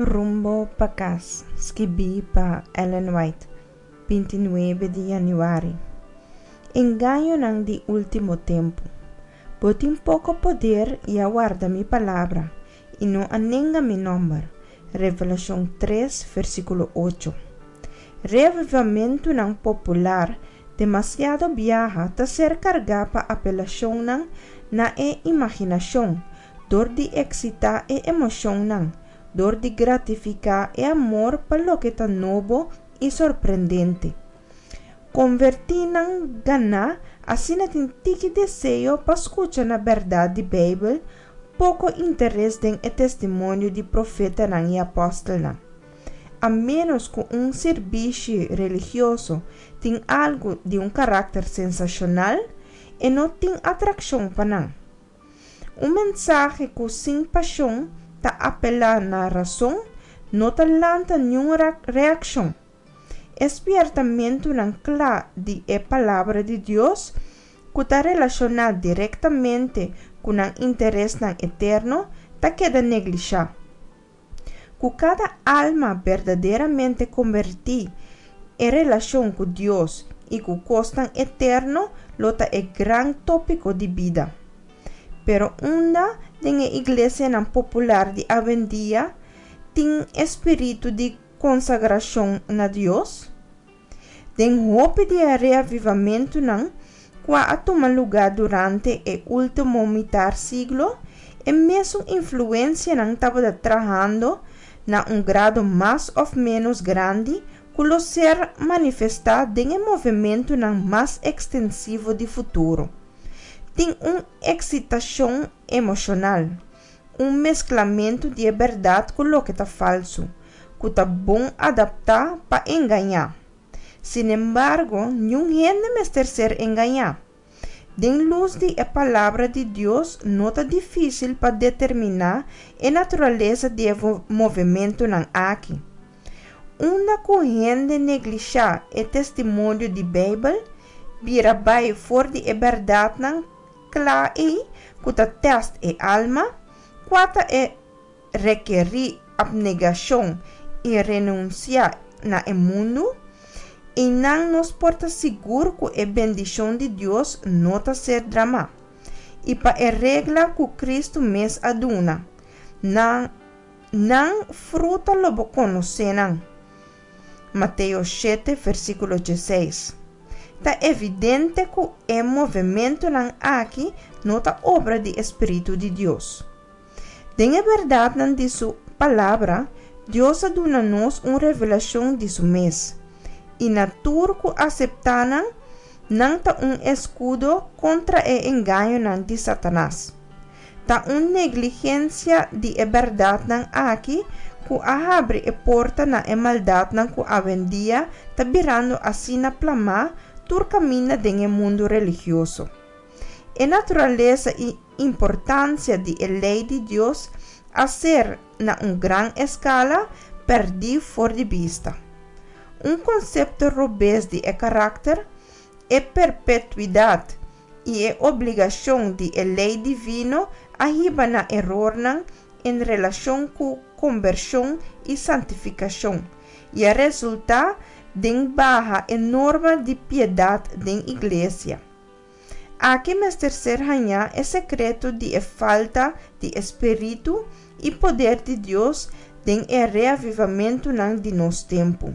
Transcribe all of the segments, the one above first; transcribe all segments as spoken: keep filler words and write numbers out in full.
Rumbo pa Kas, skibí pa Ellen White, binti nuebe di yanüari. Engañonan di último tempu. Bo tin poko poder i a warda mi palabra, i no a nenga mi nòmber. Revelashon tres, versíkulo ocho. Reavivamentunan popular demasiado biaha ta ser kargá pa apelashonnan na e imaginashon, dor di eksitá e emoshonnan, dor di gratifiká e amor pa loke ta nobo i sorprendente. Konvertínan ganá asina tin tiki deseo pa skucha na bèrdat di Beibel, poko interes den e testimonio di profetanan i apòstelnan. A ménos ku un sirbishi religioso tin algu di un karakter sensashonal, e no tin atrakshon pa nan. Un mensahe ku sin pashon ta apelá na rason no ta lanta niun reakshon. E spièrtamentunan kla di e Palabra di Dios, ku ta relashoná direktamente ku nan interesnan eterno, ta keda neglishá. Ku kada alma berdaderamente kombertí, e relashon ku Dios i ku kosnan eterno lo ta e gran tópiko di bida. Pero unda den e iglesianan popular di awendia tin e spiritu di konsagrashon na Dios? Den hopi di e reavivamentunan kua a tuma lugá durante e último mitar siglo, e mesun influensianan tabata trahando na un grado mas òf ménos grandi ku lo ser manifestá den e movementunan mas ekstensivo di futuro. Tin un eksitashon emoshonal, un mesklamentu di e bèrdat ku loke ta falsu, ku ta bon adaptá pa engañá. Sinembargo, niun hende mester ser engañá. Den lus di e Palabra di Dios no ta difísil pa determiná e naturalesa di e movementunan aki. Unda ku hende neglishá e testimonio di Beibel, bira bai for di e bèrdatnan kla ei ku ta tèst e alma, kua ta e rekerí apnegashon i renunsiá na e mundu, einan nos por ta sigur ku e bendishon di Dios no ta ser dramá, i pa e regla ku Kristu mes a duna, Na nan fruta lo bo konosé nan. Mateo shete, versíkulo diesseis. Ta evidente ku e movementunan aki no ta obra di e spiritu di Dios. Den e bèrdatnan di su Palabra, Dios a duna nos un revelashon di su mes, i na tur ku aseptá nan, nan ta un eskudo kontra e engañonan di Satanas. Ta un negligensia di e bèrdatnan aki ku a habri e porta na e maldatnan ku awendia ta birando asina plamá tur kaminda den e mundu religioso. E naturalesa i importansia di e lei di Dios a ser, na un gran eskala, pèrdí for di bista. Un konsepto robes di e karakter, e perpetuidat i e obligashon di e lei divino a hiba na erornan en relashon ku kombershon i santifikashon, i a resultá den baha enorme di piedat den iglesia. Aki mester ser hañá e sekreto di e falta di e spiritu i poder di Dios den e reavivamentunan di nos tempu.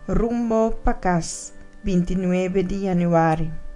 Rumbo pa Kas, binti nuebe di yanüari.